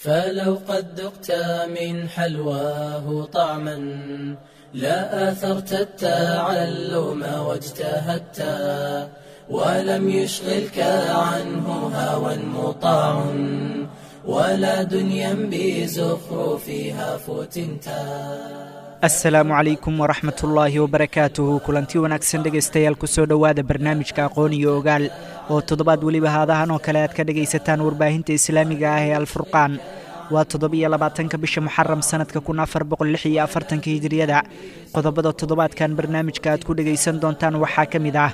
فلو قد ذقت من حلواه طعما لا آثرت التعلم واجتهدت ولم يشغلك عنه هوى مطاع ولا دنيا بزخرفها فتنتا. Asalaamu calaykum waraxmatullaahi wabarakaatuhu. Kulanti wanaagsan dhegaystayaal, kusoo dhowaada barnaamijka Aqoon iyo Ogaal oo toddobaad weliba haadahan oo kale aad ka dhegaysataan warbaahinta islaamiga ah ee Alfurqaan. Waa 27-ka bisha Muxaram sanadka 1446-ka Hijiriyada. Qodobada toddobaadkan barnaamijka aad ku dhegaysan doontaan waxaa ka mid ah: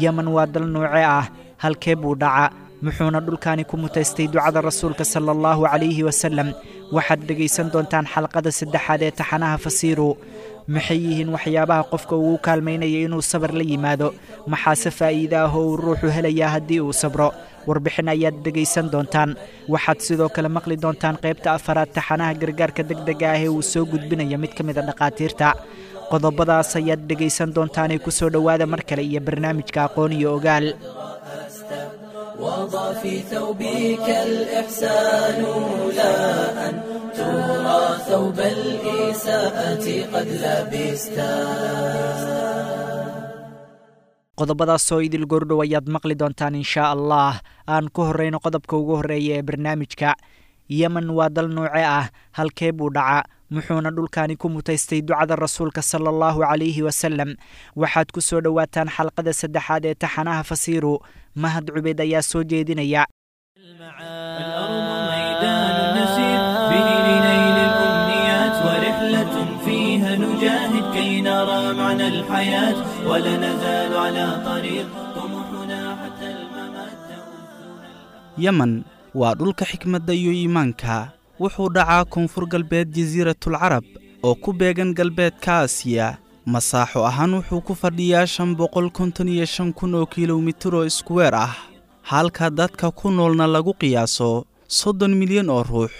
Yemen waa dal nooce ah? Halkee buu dhaca? Muxuuna dhulkaani ku mutaystay ducada Rasuulka sala Allahu calayhi wasalam? Waxaad dhegaysan doontaan xalqada saddexaad ee taxanaha Fasiiru. Maxay yihiin waxyaabaha qofka ugu kaalmaynaya inuu sabar la yimaado? Maxaase faa'iide ah oo uu ruuxu helayaa haddii uu sabro? Warbixin ayaad dhegaysan doontaan. Waxaad sidoo kale maqli doontaan qaybta afaraad taxanaha gargaarka degdega ah ee uu soo gudbinaya mid ka mid a dhakhaatiirta. Qodobadaas ayaad dhegaysan doontaanee kusoo dhowaada mar kale iyo barnaamijka Aqoon iyo Ogaal. وضع في ثوبك الإحسان لا أن ترى ثوب الإساءة قد لبستا. Qodobadaasoo idil goordhow ayaad maqli doontaan inshaa Allah. Aan ku horreyno qodobka ugu horreeya ee barnaamijka. Yemen waa dal nooce ah? Halkee buu dhaca? Muxuuna dhulkaani ku mutaystay ducada Rasuulka sala Allahu calayhi wasalam? Waxaad ku soo dhowaataan xalqada saddexaad ee taxanaha Fasiiru. Mahad Cubeed ayaa soo jeedinaya. الأرض ميدان نسير به لنيل الأمنيات، ورحلة فيها نجاهد كي نرى معنى الحياة، ولا نزال على طريق طموحنا حتى الممات تؤذنا. Yemen waa dhulka xikmadda iyo iimaanka. Wuxuu dhacaa koonfur galbeed Jasiiratul Carab oo ku beegan galbeedka Aasiya. Masaaxo ahaan wuxuu ku fadhiyaa 555,000 oo kilomitir oo iskuweer ah, halka dadka ku noolna lagu qiyaaso 30 milyan oo ruux.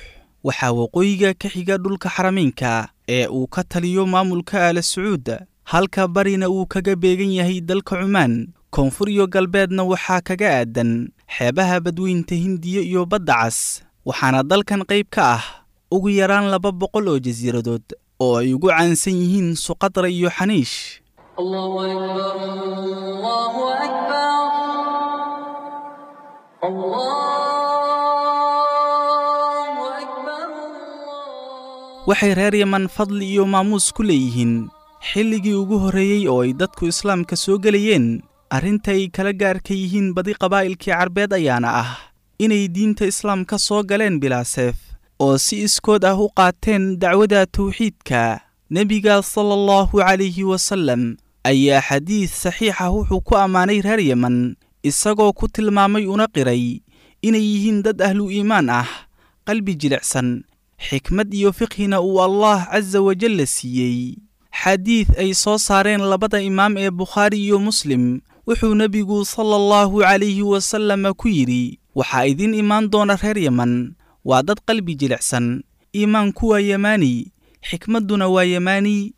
Waxaa waqooyiga ka xiga dhulka Xarameynka ee uu ka taliyo maamulka Aala Sacuud, halka barina uu kaga beegan yahay dalka Cumaan. Koonfur iyo galbeedna waxaa kaga aadan xeebaha Badweynta Hindiya iyo Badda Cas. Waxaana dalkan qayb ka ah ugu yaraan 200 oo jasiiradood oo ay ugu caansan yihiin Suqadra iyo Xaniish. الله أكبر، الله أكبر، الله أكبر. Waxay reer Yeman fadli iyo maamuus ku leeyihiin xilligii ugu horreeyey oo ay dadku islaamka soo gelayeen. Arrinta ay kala gaarka yihiin badi qabaa'ilkii Carbeed ayaana ah inay diinta islaamka soo galeen bilaa seef oo si iskood ah u qaateen dacwada tawxiidka. Nebiga sala Allahu calayhi wasallam ayaa xadiid saxiix ah wuxuu ku ammaanay reer Yeman, isagoo ku tilmaamay una qiray inay yihiin dad ahlu iimaan ah, qalbi jilicsan, xikmad iyo fiqhina uu Allah casa wajalla siiyey. Xadiid ay soo saareen labada imaam ee Bukhaari iyo Muslim wuxuu nebigu sala Allahu calayhi wasallam ku yidhi: "Waxaa idiin imaan doona reer Yeman, waa dad qalbi jilicsan, iimaanku waa yamaani, xikmadduna waa yamaani."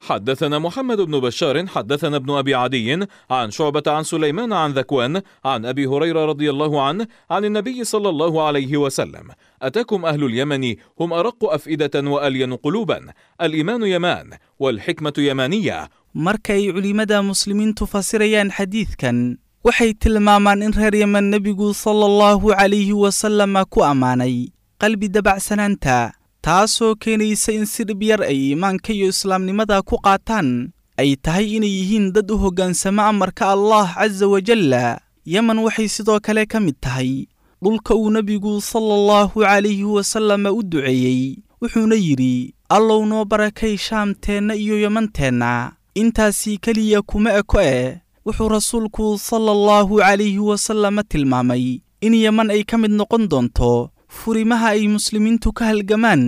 حدثنا محمد بن بشار، حدثنا ابن ابي عدي، عن شعبه، عن سليمان، عن ذكوان، عن ابي هريره رضي الله عنه، عن النبي صلى الله عليه وسلم: اتاكم اهل اليمن، هم ارق افئده والين قلوبا، الايمان يمان والحكمه يمانيه. Marka ay culimmada muslimiintu fasirayaan xadiidkan, waxay tilmaamaan in reer Yemen nebigu sala Allahu calayhi wasalama ku ammaanay qalbi dabacsanaanta, taasoo keenaysa in si dhib yar ay iimaanka iyo islaamnimada ku qaataan, ay tahay inay yihiin dad u hoggaansama amarka Allah casa wajalla. Yemen waxay sidoo kale ka mid tahay dhulka uu nebigu sala Allahu calayhi wasalama u duceeyey, wuxuuna yidhi: "Allow noo barakay Shaamteenna iyo Yemanteenna." Intaasii keliya kuma eko eh, wuxuu rasuulku sala Allahu calayhi wasalama tilmaamay in Yeman ay ka mid noqon doonto furimaha ay muslimiintu ka halgamaan,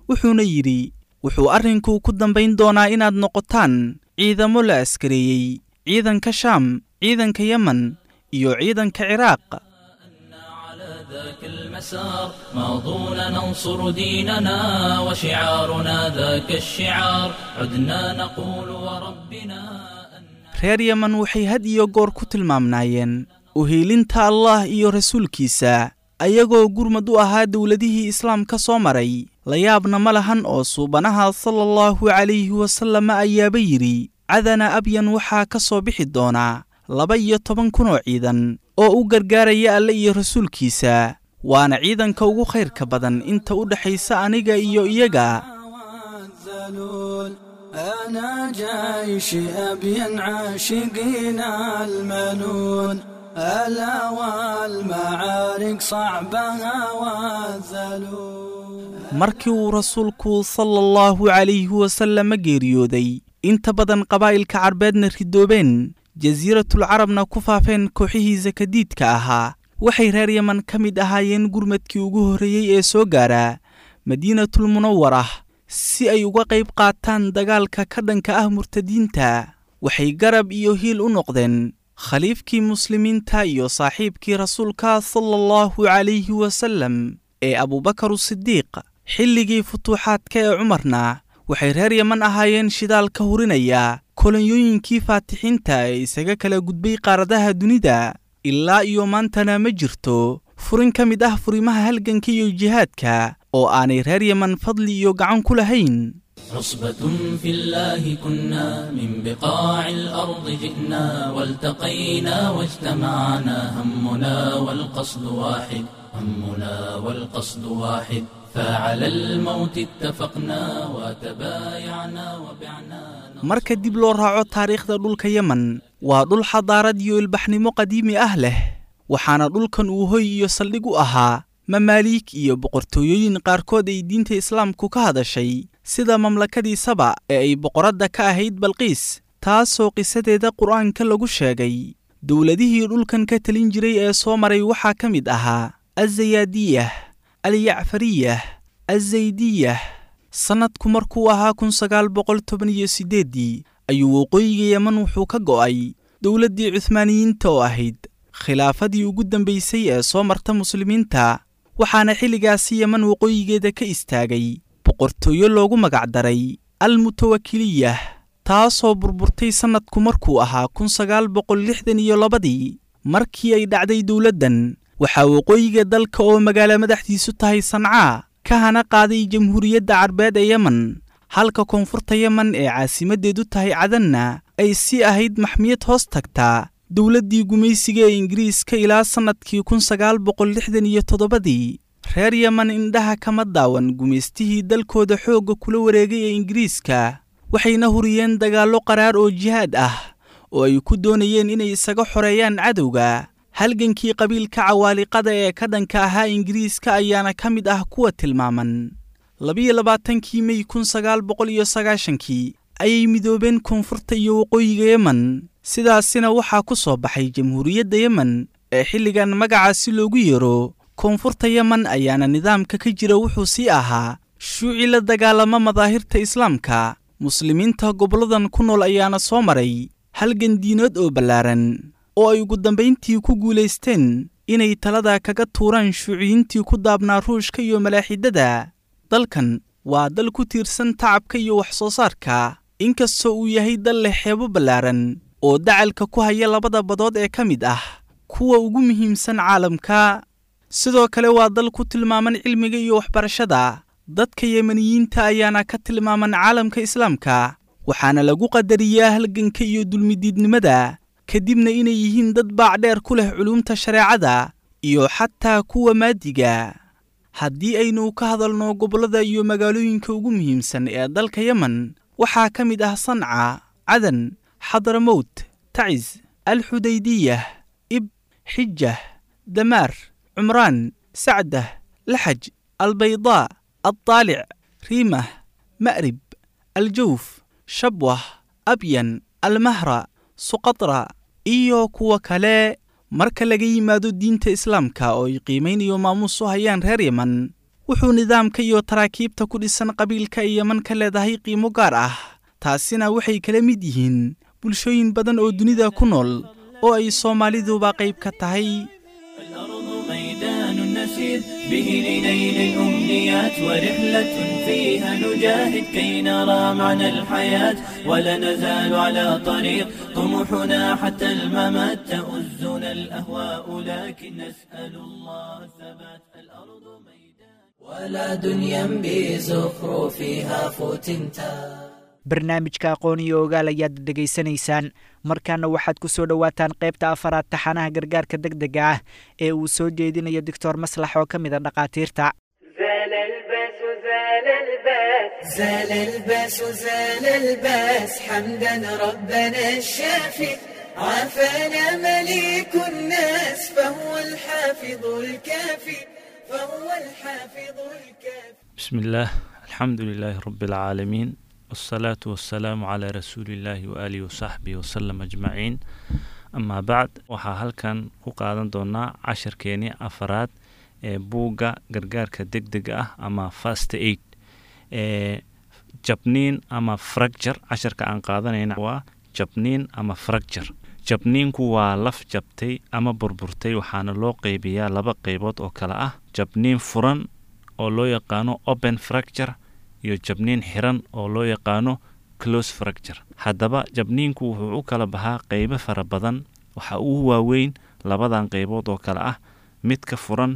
wuxuuna yidhi: "Wuxuu arrinku ku dambayn doonaa inaad noqotaan ciidamo la askareeyey, ciidanka Shaam, ciidanka Yemen iyo ciidanka Ciraaq." على ذاك المسار ماضون ننصر ديننا وشعارنا ذاك الشعار، عدنا نقول وربنا أن Reer Yemen waxay had iyo goor ku tilmaamnaayeen uhiilinta Allah iyo rasuulkiisa. Ayagoo gurmad u ahaa dowladihii islaamka soo maray. La yaabna ma lahan oo suubanaha salaallahu calayhi wasallam ayaaba yidhi: Cadana Abyan waxaa ka soo bixi doonaa 12,000 oo ciidan oo u gargaaraya Alle iyo rasuulkiisa, waana ciidanka ugu khayrka badan inta u dhexaysa aniga iyo iyaga. أنا جيش أبين عاشقين المنون، ألا والمعارك صعبها والذلول. Markii uu rasuulku salaallahu calayhi wasallam geeriyooday, inta badan qabaa'ilka Carbeedna ridoobeen, Jasiiratul Carabna ku faafeen kooxihii sakadiidka ahaa, waxay reer Yeman ka mid ahaayeen gurmadkii ugu horreeyey ee soo gaara Madiinatul Munawarah si ay uga qayb qaataan dagaalka ka dhanka ah murtadiinta. Waxay garab iyo hiil u noqdeen khaliifkii muslimiinta iyo saaxiibkii rasuulka salaallahu calayhi wasallam ee Abuubakar Sidiiq. Xilligii futuuxaadka ee Cumarna waxay reer Yeman ahaayeen shidaal ka hurinaya kolonyooyinkii faatixiinta ee isaga kala gudbay qaaradaha dunida. Ilaa iyo maantana ma jirto furin ka mid ah furimaha halganka iyo jihaadka oo aanay reer Yeman fadli iyo gacan ku lahayn. عصبة في الله كنا، من بقاع الأرض جئنا، والتقينا واجتمعنا، همنا والقصد واحد، همنا والقصد واحد، فعلى الموت اتفقنا وتبايعنا وبعنا. Marka dib loo raaco taariikhda dhulka Yemen, waa dhul xadaarad iyo ilbaxnimo qadiimi ah leh, waxaana dhulkan uu hoy iyo saldhig u ahaa mamaaliik iyo boqortooyooyin qaarkood ay diinta islaamku ka hadashay, sida mamlakadii Saba ee ay boqoradda ka ahayd Balqiis, taasoo qisadeeda Qur'aanka lagu sheegay. Dowladihii dhulkan ka talin jiray ee soo maray waxaa ka mid ahaa Azayaadiyah, Alyacfariyah, Azaydiyah. Sannadku markuu ahaa 1918-dii ayuu waqooyiga Yeman wuxuu ka go'ay dowladdii Cuhmaaniyiinta oo ahayd khilaafadii ugu dambaysay ee soo marta muslimiinta, waxaana xilligaasi Yeman waqooyigeeda ka istaagay boqortooyo loogu magacdaray Almutawakiliyah, taasoo burburtay sannadku markuu ahaa 1962-dii. Markii ay dhacday dowladdan, waxaa waqooyiga dalka oo magaalo madaxdiisu tahay Sancaa ka hana qaaday Jamhuuriyadda Carbeed ee Yemen, halka koonfurta Yemen ee caasimaddeedu tahay Cadanna ay sii ahayd maxmiyad hoos tagtaa dowladdii gumaysiga ee Ingiriiska ilaa sannadkii 1967-dii. Reer Yemen indhaha kama daawan gumaystihii dalkooda xoogga kula wareegay ee Ingiriiska, waxayna huriyeen dagaallo qaraar oo jihaad ah oo ay ku doonayeen inay isaga xoreeyaan cadowga. Halgankii qabiilka Cawaaliqada ee ka dhanka ahaa Ingiriiska ayaana ka mid ah kuwa tilmaaman. 22-kii Mey 1990-kii ayay midoobeen koonfurta iyo waqooyiga Yemen, sidaasina waxaa ku soo baxay Jamhuuriyadda Yemen ee xilligan magacaasi loogu yeero. Koonfurta Yemen ayaana nidaamka ka jira wuxuu sii ahaa shuuci la dagaalama madaahirta islaamka. Muslimiinta gobolladan ku nool ayaana soo maray halgan diinood oo ballaaran oo ay ugu dambayntii ku guulaysteen inay talada kaga tuuraan shuuciyiintii ku daabnaa Ruushka iyo malaaxidada. Dalkan waa dal ku tiirsan tacabka iyo wax soo saarka, inkastoo uu yahay dal leh xeebo ballaaran oo dacalka ku haya labada badood ee ka mid ah kuwa ugu muhiimsan caalamka. Sidoo kale waa dal ku tilmaaman cilmiga iyo waxbarashada. Dadka Yemeniyiinta ayaana ka tilmaaman caalamka islaamka, waxaana lagu qadariyaa halganka iyo dulmidiidnimada, kadibna inay yihiin dad baac dheer ku leh culuumta shareecada iyo xataa kuwa maadiga. Haddii aynu ka hadalno gobollada iyo magaalooyinka ugu muhiimsan ee dalka Yemen, waxaa ka mid ah Sanca, Cadan, Xadramowt, Tacis, Alxudaydiyah, Ib, Xijah, Damaar, Cumraan, Sacdah, Laxaj, Albaydaa, Aldaalic, Riimah, Ma'rib, Aljawf, Shabwah, Abyan, Almahra, Suqatra iyo kuwa kale. Marka laga yimaado diinta islaamka oo ay qiimayn iyo maamuus u hayaan reer Yemen, wuxuu nidaamka iyo taraakiibta ku dhisan qabiilka ay Yemen ka leedahay qiimo gaar ah. Taasina waxay kala mid yihiin bulshooyin badan oo dunida ku nool oo ay Soomaaliduba qayb ka tahay. الأرض ميدان نسير به لنيل الأمنيات، ورحلة فيها نجاهد كي نرى معنى الحياة، ولا نزال على طريق طموح. طموحنا حتى الممات تؤزنا الأهواء لكن نسأل الله الثبات الأرض ميدان ولا دنيا بزخرفها فتنتا. Barnaamijka Aqoon iyo Ogaal ayaad dhegaysanaysaan. Markaana waxaad ku soo dhowaataan qaybta afaraad taxanaha gargaarka deg dega ah ee uu soo jeedinayo Doctor Maslax oo ka mid a dhakhaatiirta. زال الباس زال الباس زال الباس زال الباس حمدا ربنا الشافي عافانا مليك الناس فهو الحافظ الكافي فهو الحافظ الكافي. بسم الله، الحمد لله رب العالمين، والصلاة والسلام على رسول الله وآله وصحبه وسلم أجمعين، أما بعد. Waxaa halkan ku qaadan doonaa cashirkeeni afaraad ee buugga gargaarka degdega ah ama first aid ee jabniin ama fracture. Casharka aan qaadanayna waa jabniin ama fracture. Jabniinku waa laf jabtay ama burburtay, waxaana loo qeybiyaa laba qeybood oo kale ah: jabniin furan oo loo yaqaano open fracture iyo jabniin xiran oo loo yaqaano close fracture. Haddaba jabniinku wuxuu u kala baxaa qeybo fara badan. Waxa ugu waaweyn labadan qeybood oo kale ah midka furan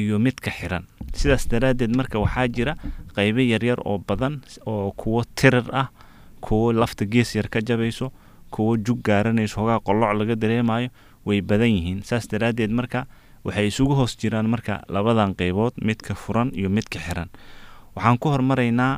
iyo midka xiran. Sidaas daraaddeed marka waxaa jira qeybo yaryar oo badan, oo kuwo tirir ah, kuwo lafta gees yar ka jabayso, kuwo jug gaaranayso, hogaa qoloc laga dareemayo. Way badan yihiin. Saas daraaddeed marka waxay isugu hoos jiraan marka labadan qeybood, midka furan iyo midka xiran. Waxaan ku hormaraynaa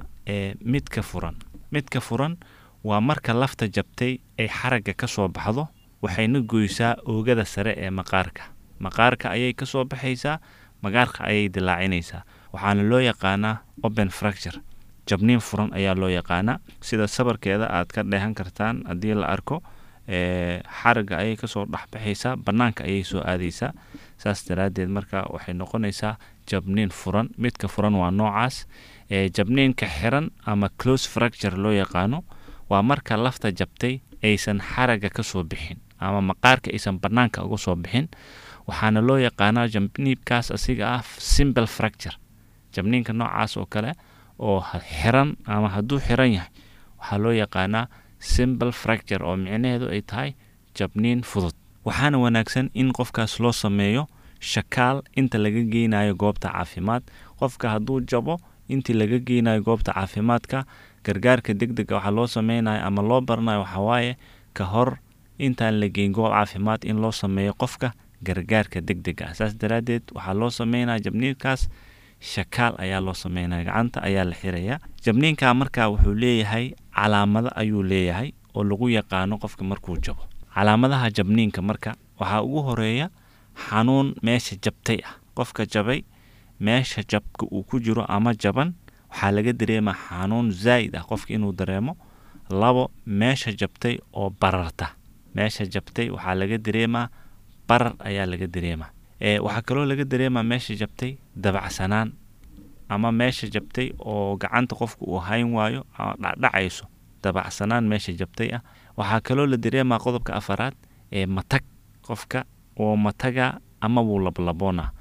midka furan. Midka furan waa marka lafta jabtay ay xaragga ka soo baxdo, waxayna goysaa oogada sare ee maqaarka. Maqaarka ayay ka soo baxaysaa, maqaarka ayay dilaacinaysaa. Waxaana loo yaqaanaa open fracture, jabniin furan ayaa loo yaqaanaa. Sida sawirkeeda aad ka dheehan kartaan, haddii la arko, xaragga ayay kasoo dhexbaxaysaa, bannaanka ayay soo aadaysaa. Saas daraaddeed marka waxay noqonaysaa jabniin furan. Midka furan waa noocaas. Jabniinka xiran ama close fracture loo yaqaano waa marka lafta jabtay aysan xaragga kasoo bixin ama maqaarka aysan bannaanka uga soo bixin. Waxaana loo yaqaanaa jabniinkaas asiga ah simple fracture. Jabniinka noocaas oo kale oo xiran ama hadduu xiran yahay waxaa loo yaqaanaa simple fracture, oo micnaheedu ay tahay jabniin fudud. Waxaana wanaagsan in qofkaas loo sameeyo shakaal inta laga geynayo goobta caafimaad. Qofka hadduu jabo, intii laga geynayo goobta caafimaadka, gargaarka degdega waxaa loo sameynayo ama loo baranayo waxaa waaye ka hor intaan la geyn goob caafimaad in loo sameeyo qofka gargaarka degdega ah. Saas daraaddeed waxaa loo sameynaya jabniinkaas shakaal ayaa loo sameynaya, gacanta ayaa la xirayaa. Jabniinka markaa wuxuu leeyahay calaamado ayuu leeyahay oo lagu yaqaano qofka markuu jabo. Calaamadaha jabniinka marka waxaa ugu horeeya xanuun meesha jabtay ah. Qofka jabay meesha jabka uu ku jiro ama jaban waxaa laga dareemaa xanuun zaa'id ah qofka inuu dareemo. Labo, meesha jabtay oo bararta. Meesha jabtay waxaa laga dareemaa barar ayaa laga dareemaa. Waxaa kaloo laga dareemaa meesha jabtay dabacsanaan ama meesha jabtay oo gacanta qofka uu hayn waayo ama dhacdhacayso, dabacsanaan meesha jabtay ah. Waxaa kaloo la dareemaa qodobka afaraad ee matag. Qofka oo mataga ama wuu lablaboona.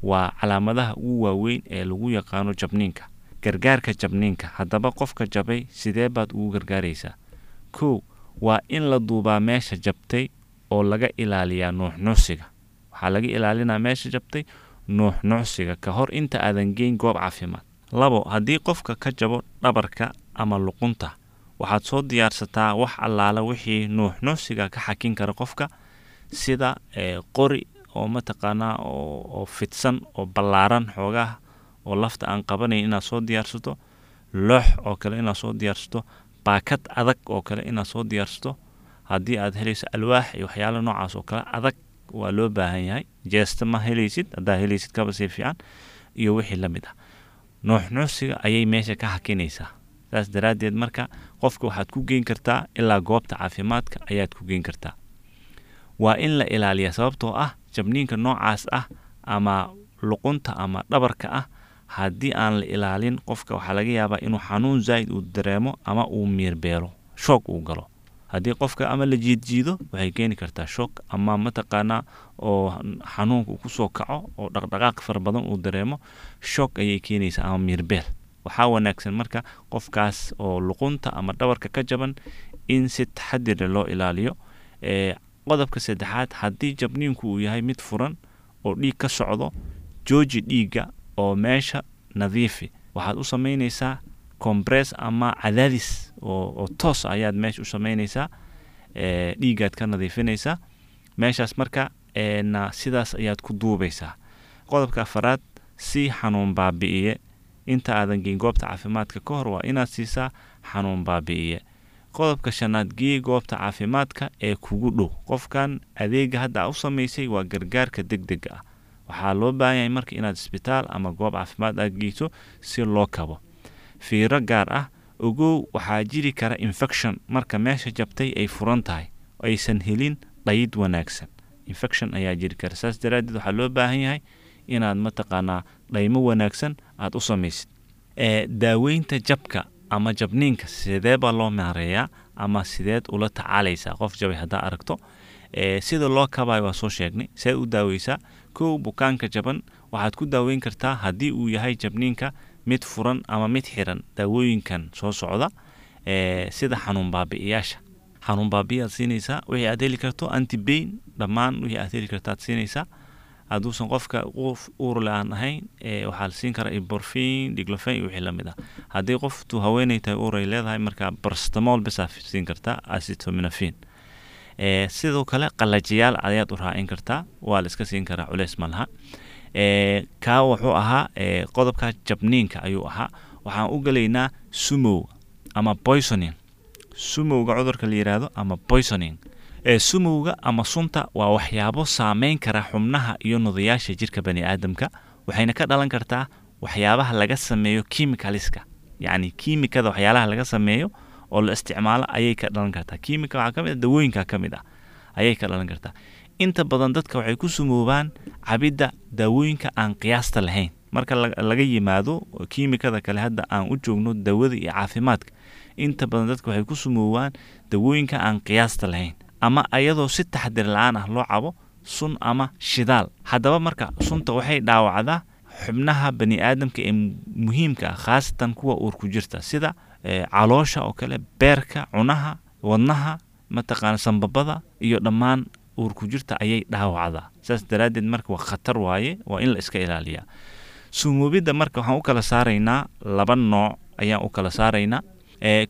Waa calaamadaha ugu waaweyn ee lagu yaqaano jabniinka. Gargaarka jabniinka haddaba, qofka jabay sidee baad ugu gargaaraysaa? Kow, waa in la duubaa meesha jabtay oo laga ilaaliyaa nuuxnuuxsiga. Waxaa laga ilaalinaa meesha jabtay nuuxnuuxsiga ka hor inta aadan geyn goob caafimaad. Labo, haddii qofka ka jabo dhabarka ama luqunta, waxaad soo diyaarsataa wax allaala wixii nuuxnuuxsiga ka xakin kara qofka, sida qori oo mataqaanaa oo fidsan oo ballaaran xoogaha oo lafta aan qabanayn inaad soo diyaarsato, loox oo kale inaad soo diyaarsato, baakad adag oo kale inaad soo diyaarsato. Haddii aad helayso alwaax iyo waxyaalo noocaas oo kale adag waa loo baahan yahay. Jeesta ma helaysid, haddaa helaysid kaba sii fiican, iyo wixii la mid ah. Nuuxnuuxsiga ayay meesha ka hakinaysaa. Saas daraaddeed marka qofka waxaad ku geyn kartaa ilaa goobta caafimaadka ayaad ku geyn kartaa. Waa in la ilaaliyaa, sababtoo ah jabniinka noocaas ah ama luqunta ama dhabarka ah haddii aan la ilaalin qofka waxaa laga yaabaa inuu xanuun zaa'id uu dareemo ama uu miirbeelo, shoog uu galo. Haddii qofka ama la jiidjiido waxay keeni kartaa shoog ama mataqaanaa oo xanuunka uu kusoo kaco oo dhaqdhaqaaq fara badan uu dareemo, shoog ayay keenaysaa ama miirbeel. Waxaa wanaagsan marka qofkaas oo luqunta ama dhabarka ka jaban in si taxadir leh loo ilaaliyo. Qodobka saddexaad, haddii jabniinku uu yahay mid furan oo dhiig ka socdo, jooji dhiigga oo meesha nadiifi. Waxaad u samaynaysaa compress ama cadaadis oo toos ayaad meesha u samaynaysaa, dhiiggaad ka nadiifinaysaa meeshaas. Marka na sidaas ayaad ku duubaysaa. Qodobka afaraad, si xanuun baabi'iye inta aadan geyn goobta caafimaadka ka hor waa inaad siisaa xanuun baabi'iye. Qodobka shanaad, gee goobta caafimaadka ee kugu dhow. Qofkan adeega hadda aa u samaysay waa gargaarka degdega ah. Waxaa loo baahan yahay marka inaad isbitaal ama goob caafimaad aad geyso si loo kabo. Fiiro gaar ah, ogow waxaa jiri kara infection marka meesha jabtay ay furan tahay, aysan helin dhayid wanaagsan. Infection ayaa jiri kara, saas daraaddeed waxaa loo baahan yahay inaad mataqaanaa dhaymo wanaagsan aad u samaysid. Daaweynta jabka ama jabniinka sidee baa loo maareeyaa ama sideed ula tacaalaysaa qof jabay haddaa aragto? Sida loo kabayo waa soo sheegnay. Seed u daaweysaa? Kow, bukaanka jaban waxaad ku daaweyn kartaa haddii uu yahay jabniinka mid furan ama mid xiran daawooyinkan soo socda, sida xanuun baabi'iyaasha. Xanuun baabi'iyaad siinaysaa wixii aad heli karto, antibain, dhammaan wixii aad heli karto aad siinaysaa. Hadduusan qofka qof uur le aan ahayn, waxaa la siin karaa ibuprofen, diclofenac iyo wixii lamid ah. Haddii qoftu haweeney tahay, uur ay leedahay, marka paracetamol bisaa siin kartaa, acetaminophen. Sidoo kale qalajiyaal ayaad u raacin kartaa, waa la iska siin karaa, culeys ma laha. Kaa wuxuu ahaa qodobka jabniinka ayuu ahaa. Waxaan u gelaynaa sumow ama poisoning, sumowga cudurka la yiraahdo ama poisoning. Sumowga ama sunta waa waxyaabo saameyn kara xubnaha iyo nudayaasha jirka bani aadamka, waxayna ka dhalan kartaa waxyaabaha laga sameeyo chemicalska, yacni kiimikada waxyaalaha laga sameeyo oo la isticmaalo ayay ka dhalan kartaa. Kiimika waxaa ka mid ah dawooyinka ka mid ah ayay ka dhalan kartaa. Inta badan dadka waxay ku sumoobaan cabidda daawooyinka aan qiyaasta lahayn. Marka laga yimaado kiimikada kale, hadda aan u joogno dawada iyo caafimaadka, inta badan dadka waxay ku sumoobaan dawooyinka aan qiyaasta lahayn ama ayadoo si taxadir la-aan ah loo cabo sun ama shidaal. Haddaba marka sunta waxay dhaawacdaa xubnaha bani aadamka ee muhiimka ah, khaasatan kuwa uurku jirta, sida caloosha oo kale, beerka, cunaha, wadnaha, mataqaana sambabada iyo dhammaan uurku jirta ayay dhaawacdaa. Saas daraaddeed marka waa khatar waaye, waa in la iska ilaaliyaa sumoobidda. Marka waxaan u kala saaraynaa laba nooc ayaan u kala saaraynaa.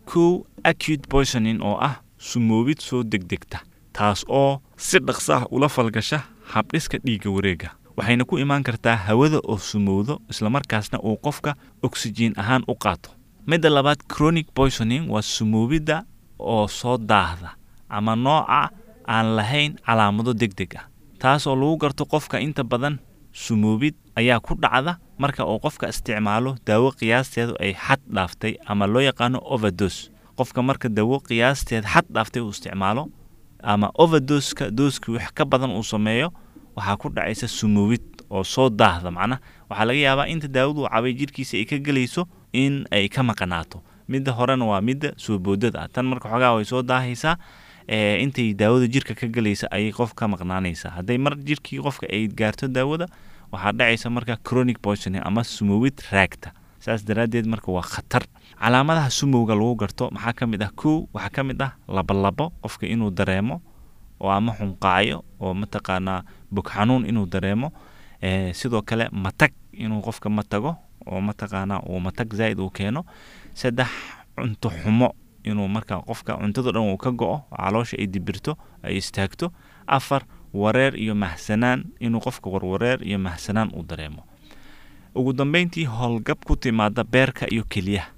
Kow, acute poisoning oo ah sumoobid soo degdegta, taas oo si dhaqso ah ula falgasha habdhiska dhiigga wareega, waxayna ku imaan kartaa hawada oo sumowdo islamarkaasna uu qofka oksijiin ahaan u qaato. Midda labaad, chronic poisoning, waa sumoobidda oo soo daahda ama nooca aan lahayn calaamado degdeg ah, taas oo lagu garto qofka inta badan sumoobid ayaa ku dhacda marka uu qofka isticmaalo daawo qiyaasteedu ay xad dhaaftay ama loo yaqaano overdose. Qofka marka daawo qiyaasteed xad dhaaftay uu isticmaalo ama overdoska, dooski wax ka badan uu sameeyo, waxaa ku dhacaysa sumoobid oo soo daahda. Macnaha waxaa laga yaabaa inta daawadu cabay jirkiisa ay ka gelayso in ay ka maqanaato. Midda horena waa midda soo boodada ah. Tan marka xogaa way soo daahaysaa, intay daawada jirka ka gelaysa ayay qof ka maqnaanaysaa. Hadday mar jirkii qofka ay gaarto daawada, waxaa dhacaysa marka chronic poisoning ama sumoobid raagta. Saas daraaddeed marka waa khatar. Calaamadaha sumowga lagu garto maxaa ka mid ah? Kow, waxaa ka mid ah labolabo qofka inuu dareemo oo ama xunqaayo oo mataqaanaa bog xanuun inuu dareemo. Sidoo kale matag, inuu qofka matago oo mataqaanaa uu matag zaa'id uu keeno. Saddex, cunto xumo, inuu marka qofka cuntada dhan uu ka go'o, caloosha ay dibirto, ay istaagto. Afar, wareer iyo mahsanaan, inuu qofka warwareer iyo mahsanaan uu dareemo. Ugu dambeyntii, howlgab ku timaada beerka iyo keliyaha.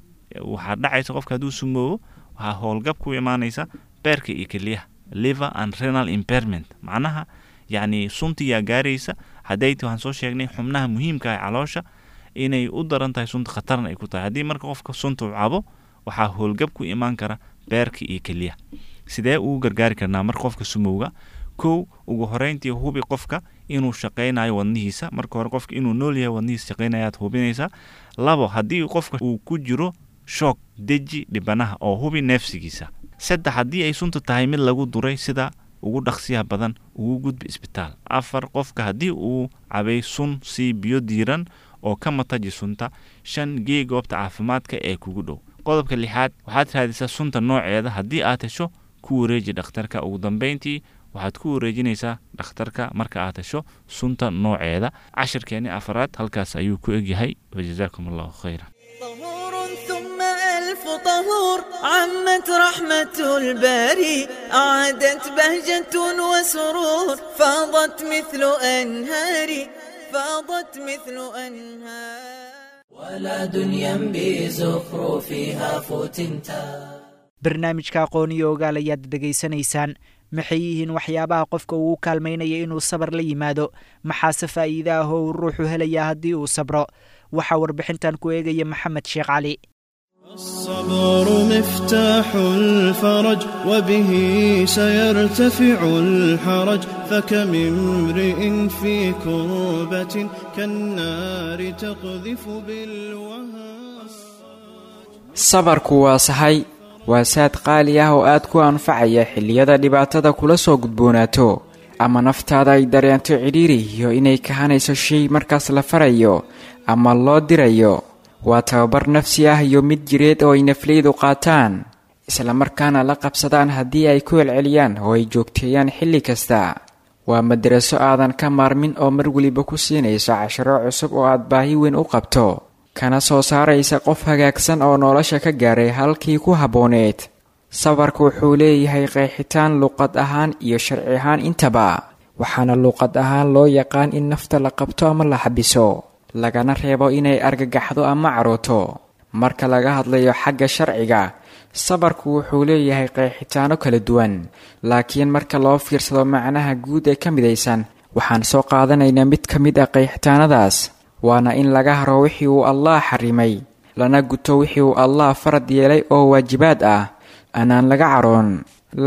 Waxaa dhacaysa qofka hadduu sumoobo, waxaa howlgab ku imaanaysa beerka iyo keliyaha, liver and renal impairment. Macnaha yacni suntiyaa gaaraysa hadday waxaan soo sheegnay xubnaha muhiimka ah ee caloosha inay u daran tahay sunta, khatarna ay ku tahay. Haddii marka qofka sunta uu cabo, waxaa howlgab ku imaan kara beerka iyo keliyaha. Sidee ugu gargaari karnaa marka qofka sumowga? Kow, ugu horeyntii hubi qofka inuu shaqaynayo wadnihiisa. Marka hore qofka inuu nool yahay, wadnihiisa shaqaynayaad hubinaysaa. Labo, haddii qofka uu ku jiro shock, deji dhibanaha oo hubi neefsigiisa. Saddex, haddii ay sunta tahay mid lagu duray, sida ugu dhaqsiyaha badan ugu gudbi isbitaal. Afar, qofka haddii uu cabay sun, sii biyo diiran oo ka mataji sunta. Shan, gee goobta caafimaadka ee kugu dhow. Qodobka lixaad, waxaad raadisaa sunta nooceeda. Haddii aad hesho, Ku wareeji dhakhtarka. Ugu dambeyntii waxaad ku wareejinaysaa dhakhtarka marka aad hesho sunta nooceeda. Cashirkeeni afaraad halkaas ayuu ku egyahay. Wajazaakum Allahu khayran. طهور ثم ألف طهور، عمت رحمة الباري، أعادت بهجة وسرور، فاضت مثل أنهاري، فاضت مثل أنهار. ولا دنيا بزخرفها فتنتا. Barnaamijka Aqoon iyo Ogaal ayaad dhegaysanaysaan. Maxay yihiin waxyaabaha qofka uu kaalmaynaya inuu sabar la yimaado? Maxaase faa'iide ah oo uu ruuxu helayaa haddii uu sabro? Waxaa warbixintan ku eegaya Maxamed Sheekh Cali. الصبر مفتاح الفرج، وبه سيرتفع الحرج، فكم امرئ في كربة كالنار تقذف بالوهى. Sabarku waa sahay, waa saad qaali ah oo aad ku anfacaya xilliyada dhibaatada kula soo gudboonaato ama naftaada ay dareento cidhiiri iyo inay kahanayso shay markaas la farayo ama loo dirayo. Waa tababar nafsi ah iyo mid jireed oo ay nafleydu qaataan, islamarkaana la qabsadaan haddii ay ku celceliyaan oo ay joogteeyaan xilli kasta. Waa madaraso aadan ka maarmin oo mar weliba ku siinayso casharo cusub oo aad baahi weyn u qabto, kana soo saaraysa qof hagaagsan oo nolosha ka gaaray halkii ku habbooneed. Sabarku wuxuu leeyahay qeexitaan luqad ahaan iyo sharci ahaan intaba, waxaana luqad ahaan loo yaqaan in nafta la qabto ama la xabiso, lagana reebo inay argagaxdo ama carooto. Marka laga hadlayo xagga sharciga, sabarku wuxuu leeyahay qeexitaano kala duwan, laakiin marka loo fiirsado macnaha guud ee ka midaysan, waxaan soo qaadanaynaa mid ka mid ah qeexitaanadaas, waana in laga haro wixii uu Allah xarimay, lana guto wixii uu Allah farad yeelay oo waajibaad ah, anaan laga caroon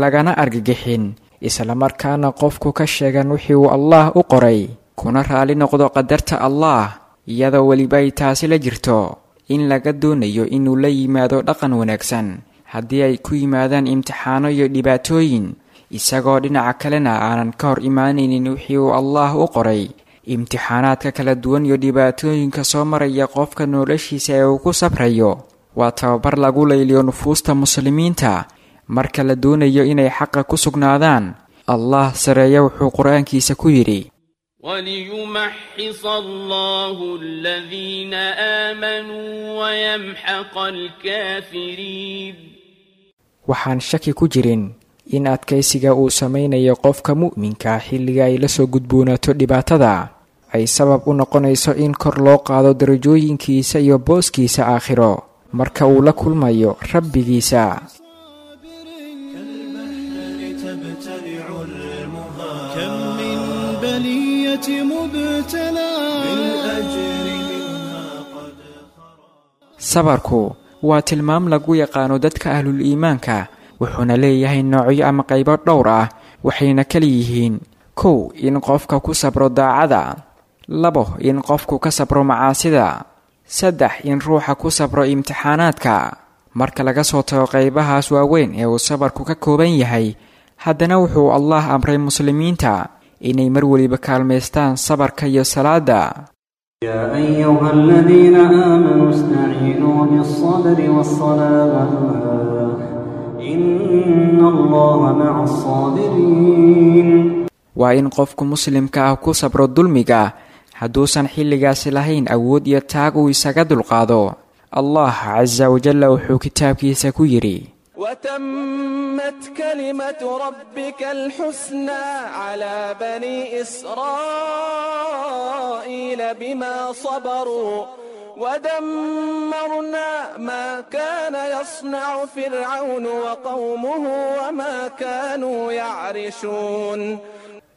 lagana argagixin, islamarkaana qofku ka sheegan wixii uu Allah u qoray, kuna raali noqdo qadarta Allah, iyadoo weliba ay taasi la jirto in laga doonayo inuu la yimaado dhaqan wanaagsan haddii ay ku yimaadaan imtixaano iyo dhibaatooyin, isagoo dhinaca kalena aanan ka hor imaanaynin wixii uu Allah u qoray. Imtixaanaadka kala duwan iyo dhibaatooyinka soo maraya qofka noloshiisa ee uu ku sabrayo waa tababar lagu layliyo nufuusta muslimiinta marka la doonayo inay xaqa ku sugnaadaan. Allah sareeya wuxuu qur-aankiisa ku yidhi: وليمحص الله الذين آمنوا ويمحق الكافرين. Waxaan shaki ku jirin in adkaysiga uu samaynayo qofka mu'minka xilliga ay la soo gudboonaato dhibaatada ay sabab u noqonayso in kor loo qaado darajooyinkiisa iyo booskiisa aakhiro marka uu la kulmayo rabbigiisa. تبتلع المها، كم من بلية مبتلى بالأجر منها قد. Sabarku waa tilmaam lagu yaqaano dadka ahlul iimaanka, wuxuuna leeyahay noocyo ama qaybo dhowr ah, waxayna kala yihiin: 1, in qofka ku sabro daacada; 2, in qofku ka sabro macaasida; 3, in ruuxa ku sabro imtixaanaadka. Marka laga soo tago qaybahaas waaweyn ee uu sabarku ka kooban yahay, haddana wuxuu Allah amray muslimiinta inay mar weliba kaalmaystaan sabarka iyo salaada. يا أيها الذين آمنوا استعينوا بالصبر والصلاة، إن الله مع الصابرين. Waa in qofku muslimka ah ku sabro dulmiga hadduusan xilligaasi lahayn awood iyo taag uu isaga dulqaado. Allah casa wajalla wuxuu kitaabkiisa ku yidhi: وتمت كلمة ربك الحسنى على بني إسرائيل بما صبروا، ودمرنا ما كان يصنع فرعون وقومه وما كانوا يعرشون.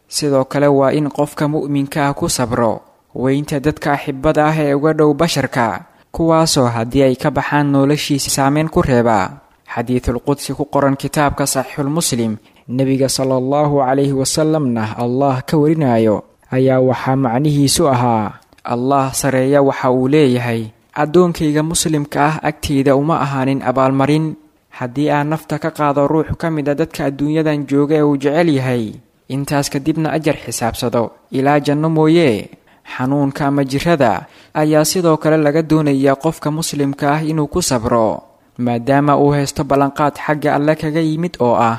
Sidoo kale waa in qofka mu'minka ah ku sabro weynta dadka axibada ah ee uga dhow basharka, kuwaasoo haddii ay ka baxaan noloshiisa saameyn ku reeba. Xadiidul qudsi ku qoran kitaabka Saxiixulmuslim, nebiga sala Allahu calayhi wasalamna Allah ka warinayo, ayaa waxaa macnihiisu ahaa: Allah sareeya waxa uu leeyahay, addoonkayga muslimka ah agtayda uma ahaanin abaalmarin haddii aan nafta ka qaado ruux ka mid a dadka adduunyadan jooga ee uu jecel yahay, intaas kadibna ajar xisaabsado ilaa janno mooye. Xanuunka ama jirada ayaa sidoo kale laga doonayaa qofka muslimka ah inuu ku sabro, maadaama uu haysto ballanqaad xagga alle kaga yimid oo ah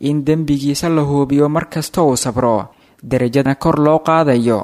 in dembigiisa la huubiyo mar kasta uu sabro, derajadna kor loo qaadayo.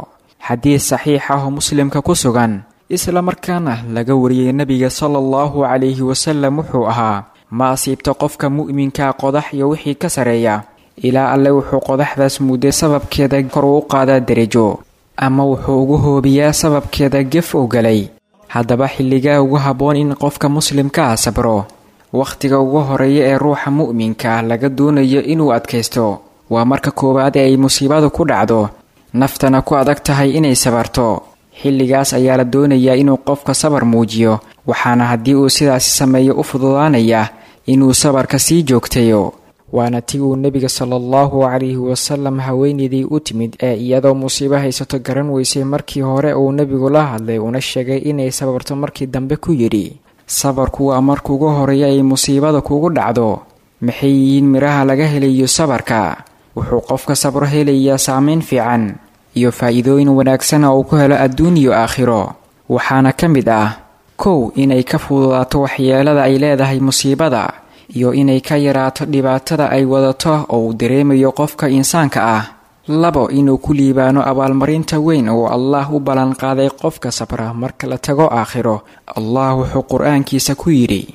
Xadiis saxiix ah oo Muslimka ku sugan isla markaana laga wariyey nabiga sala allahu calayhi wasalam wuxuu ahaa: ma asiibto qofka mu'minka qodax iyo wixii ka sareeya, ilaa alle wuxuu qodaxdaas mudday sababkeeda kor uu qaadaa derajo, ama wuxuu ugu hoobiyaa sababkeeda gef u galay. Haddaba xilligaa ugu habboon in qofka muslimka ah sabro, wakhtiga ugu horeeya ee ruuxa mu'minka ah laga doonayo inuu adkaysto, waa marka koowaad ee ay musiibadu ku dhacdo, naftana ku adag tahay inay sabarto. Xilligaas ayaa la doonayaa inuu qofka sabar muujiyo, waxaana haddii uu sidaasi sameeyo u fududaanaya inuu sabarka sii joogtayo. Waana ti uu nebiga sala allahu calayhi wasalam haweeneydii u timid ee iyadoo musiibo haysato garan weysay markii hore uu nebigu la hadlay una sheegay inay sabarto, markii dambe ku yidhi: sabarku waa marka ugu horeeya ay musiibada kugu dhacdo. Maxay yihiin miraha laga helayo sabarka? Wuxuu qofka sabro helayaa saameyn fiican iyo faa'iidooyin wanaagsan oo uu ku helo adduun iyo aakhiro. Waxaana ka mid ah: 1, inay ka fududaato waxyeelada ay leedahay musiibada, iyo inay ka yaraato dhibaatada ay wadato oo uu dareemayo qofka insaanka ah. 2, inuu ku liibaano abaalmarinta weyn oo Allah u ballanqaaday qofka sabra marka la tago aakhiro. Allah wuxuu qur-aankiisa ku yidhi: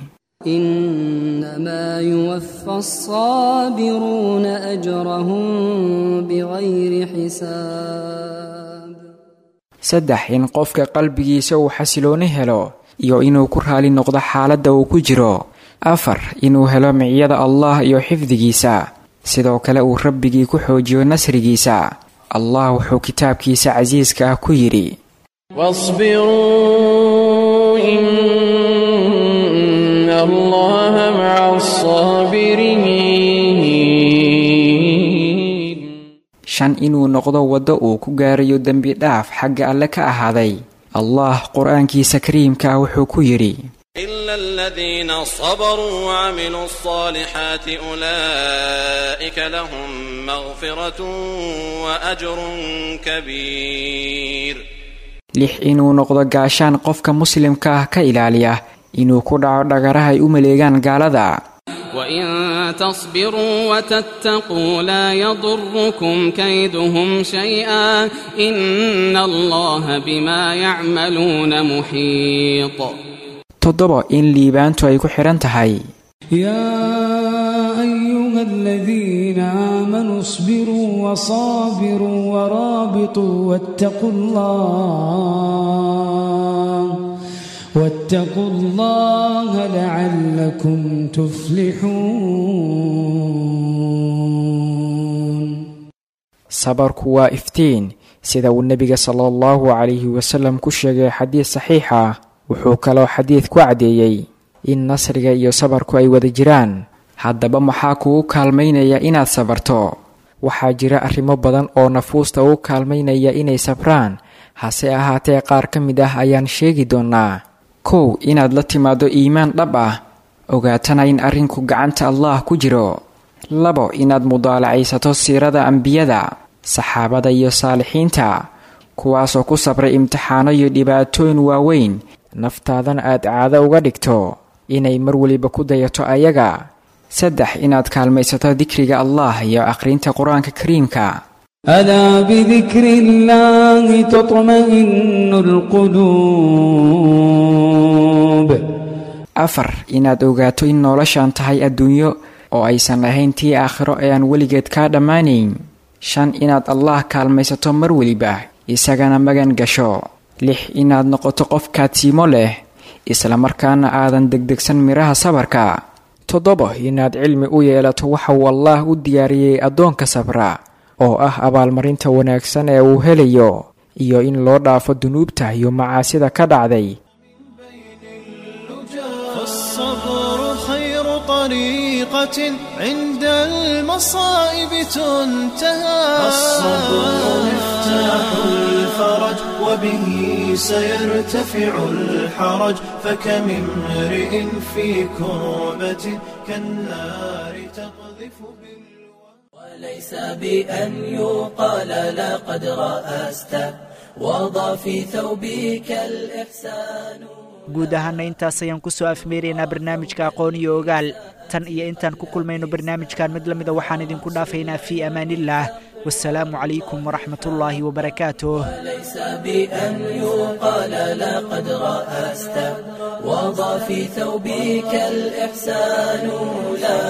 إنما يوفى الصابرون أجرهم بغير حساب. 3, in qofka qalbigiisa uu xasilooni helo iyo inuu ku raali noqdo xaaladda uu ku jiro. 4, inuu helo miciyada Allah iyo xifdigiisa, sidoo kale uu rabbigii ku xoojiyo nasrigiisa. Allah wuxuu kitaabkiisa casiiska ah ku yidhi: واصبروا إن الله مع الصابرين. 5, inuu noqdo waddo uu ku gaarayo dembi dhaaf xagga alle ka ahaaday. Allah qur-aankiisa kariimka ah wuxuu ku yidhi: إلا الذين صبروا وعملوا الصالحات أولئك لهم مغفرة وأجر كبير. 6, inuu noqdo gaashaan qofka muslimka ah ka ilaaliya inuu ku dhaco dhagaraha ay u maleegaan gaalada. وإن تصبروا وتتقوا لا يضركم كيدهم شيئا إن الله بما يعملون محيط. 7, in liibaantu ay ku xidhan tahay. يا أيها الذين آمنوا اصبروا وصابروا ورابطوا واتقوا الله لعلكم تفلحون. Sabarku waa iftiin, sida uu nebiga sala allahu calayhi wasalam ku sheegay xadiis saxiix ah. Wuxuu kaloo xadiid ku caddeeyey in nasriga iyo sabarku ay wada jiraan. Haddaba maxaa kugu kaalmaynaya inaad sabarto? Waxaa jira arrimo badan oo nafuusta ugu kaalmaynaya inay sabraan, hase ahaatee qaar ka mid ah ayaan sheegi doonaa. 1, inaad la timaado iimaan dhab ah, ogaatana in arrinku gacanta Allah ku jiro. 2, inaad mudaalacaysato siirada ambiyada, saxaabada iyo saalixiinta, kuwaasoo ku sabray imtixaano iyo dhibaatooyin waaweyn, naftaadana aad caado uga dhigto inay mar weliba ku dayato ayaga. 3, inaad kaalmaysato dikriga Allah iyo akhrinta qur-aanka kariimka. ألا بذكر الله تطمئن القلوب. 4, inaad ogaato in noloshan tahay adduunyo oo aysan ahayn tii aakhiro ee aan weligeed kaa dhammaanayn. 5, inaad Allah kaalmaysato mar weliba, isagana magan gasho. 6, inaad noqoto qof kaadsiimo leh, islamarkaana aadan degdegsan miraha sabarka. 7, inaad cilmi u yeelato waxa uu Allah u diyaariyey addoonka sabra, oo ah abaalmarinta wanaagsan ee uu helayo, iyo in loo dhaafo dunuubta iyo macaasida ka dhacday. فالصبر خير طريقة عند المصائب تنتهى. الصبر مفتاح الفرج وبه سيرتفع الحرج، فكم امرئ في كربة كالنار تقذف. وليس بأن يقال لقد رأست وضع في ثوبك الإحسان. Guud ahaana intaas ayaan ku soo afmeeraynaa barnaamijka Aqoon iyo Ogaal. Tan iyo intaan ku kulmayno barnaamijkan mid la mida, waxaan idinku dhaafaynaa fii amaanillaah. Wasalaamu calaykum waraxmatullaahi wabarakaatuh. ليس بأن يقال لقد رأست، وضع في ثوبك الإحسان، لا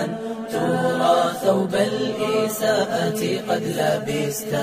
أن ترى ثوب الإساءة قد لبست.